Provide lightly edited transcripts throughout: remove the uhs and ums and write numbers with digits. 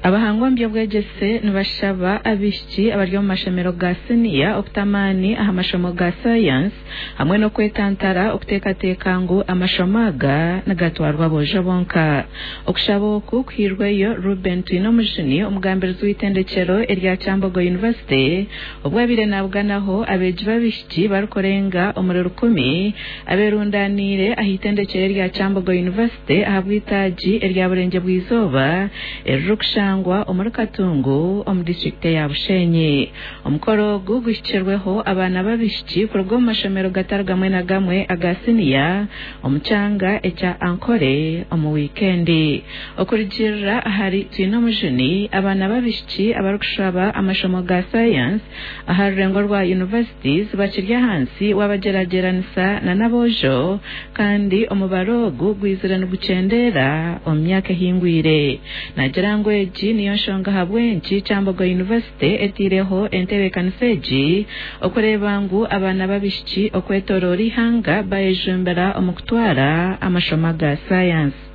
Abahanga omu by'obwegyese nibashaba abaishiki abari omu mashomero ga siniya okuta amaani aha mashomo ga sayansi hamwe n'okwetantara okuteekateeka ngu amashomo aga nigatwarwa aboojo bonka. Okushaba oku kuhairweyo Reuben Twinomujuni, omugambirizi w'eitendekyero erya Kyambogo University obu abaire nabuganaho abeegi b'abaishiki barikurenga omuri rukumi aberundaniire aha itendekyero erya Kyambogo University ahabw'eitaagi erya Burengye-bw'eizooba eririkushangwa omuri Katungu omu disiturikiti eya Bushenyi. Omukoro ogu guhikirweho abaana b'abaishiki kuruga omu mashomero gatari gamwe na gamwe aga siniya omu kyanga ekya Ankole omu wiikendi. Okurugiirira ahari Twinomujuni, abaana b'abaishiki abarikushaba amashomo ga sayansi aha rurengo rwa universities bakiri ahansi wabagyeragyeranisa na n'aboojo kandi omubaro ogu gwizire nigukyendeera omu myaka ehingwire. Naagira ngu egi niyo nshonga ahabw'enki Kyambogo University eteireho entebeekanisa egi okureeba ngu abaana b'abaishiki okwetoroora eihanga bayejumbira omu kutwara amashomo aga sayansi.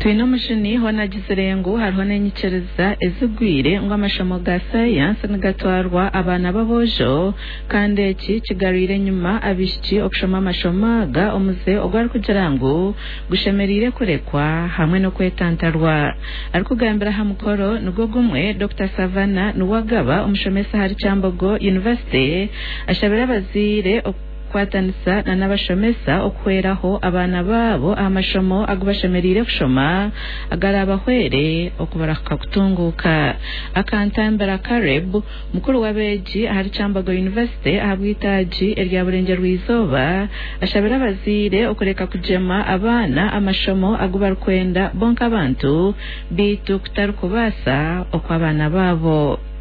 Twinomujuni hoona agizire ngu hariho n'enyikiriza ezigwire ngu amashomo ga sayansi nigatwarwa abaana b'aboojo kandi eki kigarwire enyima abaishiki okushoma amashomo aga omuze ogu arikugira ngu gushemereire kurekwa hamwe n'okwetantarwa. Arikugambira aha mukoro nigwo gumwe, Dokita Savannah Nuwagaba, omushomesa ahari Kyambogo University ashabire abazaire okukwatanisa na n'abashomesa okuhweraho abaana baabo aha mashomo agu bashemereire kushoma agarabahwere okubarahuka kutunguuka. Akantambira Caleb, mukuru w'abeegi ahari Kyambogo University ahabw'eitaagi erya Burengyerwa-izooba ashabire abazaire okureka kugyema abaana amashomo agu barikwenda bo nk'abantu beitu kutari kubaasa okw'abaana baabo.